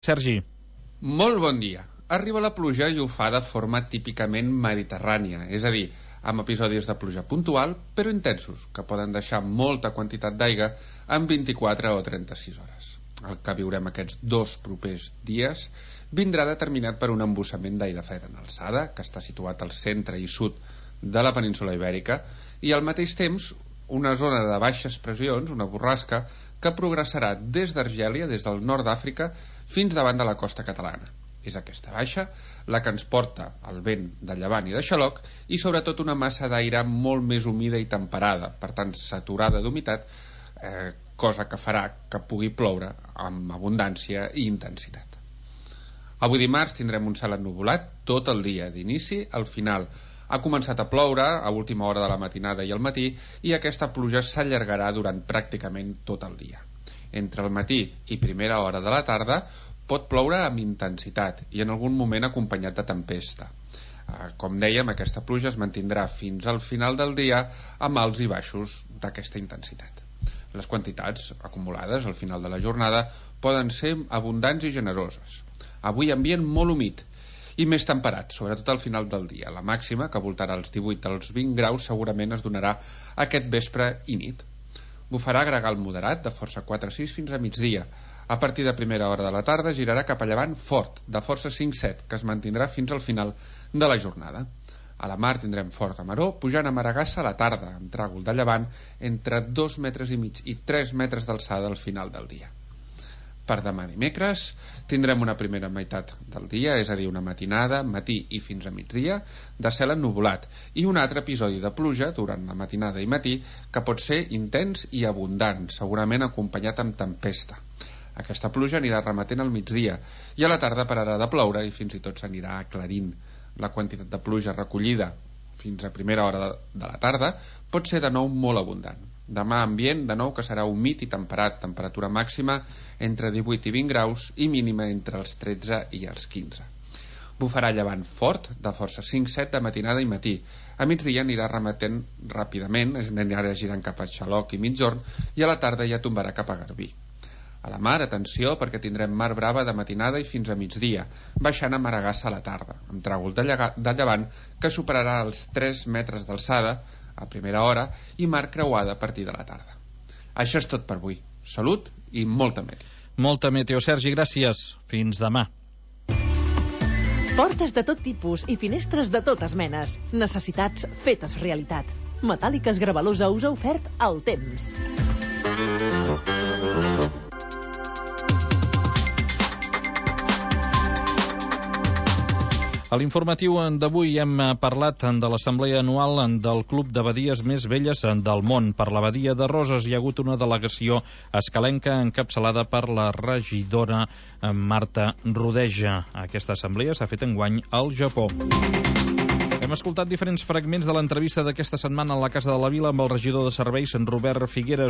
Sergi. Molt bon dia. Arriba la pluja i ho fa de forma típicament mediterrània, és a dir, amb episodis de pluja puntual, però intensos, que poden deixar molta quantitat d'aigua en 24 o 36 hores. El que viurem aquests 2 propers dies vindrà determinat per un embussament d'aire fred en alçada, que està situat al centre i sud de la península ibèrica, i al mateix temps una zona de baixes pressions, una borrasca, que progressarà des d'Argèlia, des del nord d'Àfrica, fins davant de la costa catalana. És aquesta baixa la que ens porta el vent de llevant i de xaloc i sobretot una massa d'aire molt més humida i temperada, per tant saturada d'humitat, cosa que farà que pugui ploure amb abundància i intensitat. Avui dimarts tindrem un cel ennuvolat tot el dia, d'inici al final. Ha començat a ploure a última hora de la matinada i al matí i aquesta pluja s'allargarà durant pràcticament tot el dia. Entre el matí i primera hora de la tarda pot ploure amb intensitat i en algun moment acompanyat de tempesta. Com dèiem, aquesta pluja es mantindrà fins al final del dia amb alts i baixos d'aquesta intensitat. Les quantitats acumulades al final de la jornada poden ser abundants i generoses. Avui ambient molt humit i més temperat, sobretot al final del dia. La màxima, que voltarà als 18 als 20 graus, segurament es donarà aquest vespre i nit. Bufarà gregal moderat de força 4-6 fins a migdia. A partir de primera hora de la tarda girarà cap a llevant fort, de força 5-7, que es mantindrà fins al final de la jornada. A la mar tindrem fort a maró, pujant a Maragassa a la tarda, amb tràgol de llevant entre 2,5 metres i 3 metres d'alçada al final del dia. Per demà dimecres tindrem una primera meitat del dia, és a dir, una matinada, matí i fins a migdia, de cel ennuvolat, i un altre episodi de pluja durant la matinada i matí que pot ser intens i abundant, segurament acompanyat amb tempesta. Aquesta pluja anirà remetent al migdia i a la tarda pararà de ploure i fins i tot s'anirà aclarint. La quantitat de pluja recollida fins a primera hora de la tarda pot ser de nou molt abundant. Demà ambient de nou que serà humit i temperat, temperatura màxima entre 18 i 20 graus i mínima entre els 13 i els 15. Bufarà llevant fort de força 5-7 de matinada i matí. A migdia anirà remetent ràpidament, anirà girant cap a Xaloc i Migjorn i a la tarda ja tombarà cap a Garbí. A la mar, atenció, perquè tindrem mar brava de matinada i fins a migdia, baixant a Maragassa a la tarda, amb tràgol de llevant que superarà els 3 metres d'alçada a primera hora i mar creuada a partir de la tarda. Això és tot per avui. Salut i molta meteo. Molta meteo, Sergi, gràcies. Fins demà. Portes de tot tipus i finestres de totes menes. Necessitats fetes realitat. Metàl·liques Gravalusa us ha ofert el temps. A l'informatiu d'avui hem parlat de l'assemblea anual del Club d'Abadies més velles del món. Per l'Abadia de Roses hi ha hagut una delegació escalenca encapçalada per la regidora Marta Rodeja. Aquesta assemblea s'ha fet enguany al Japó. Hem escoltat diferents fragments de l'entrevista d'aquesta setmana a la Casa de la Vila amb el regidor de Serveis, en Robert Figueres.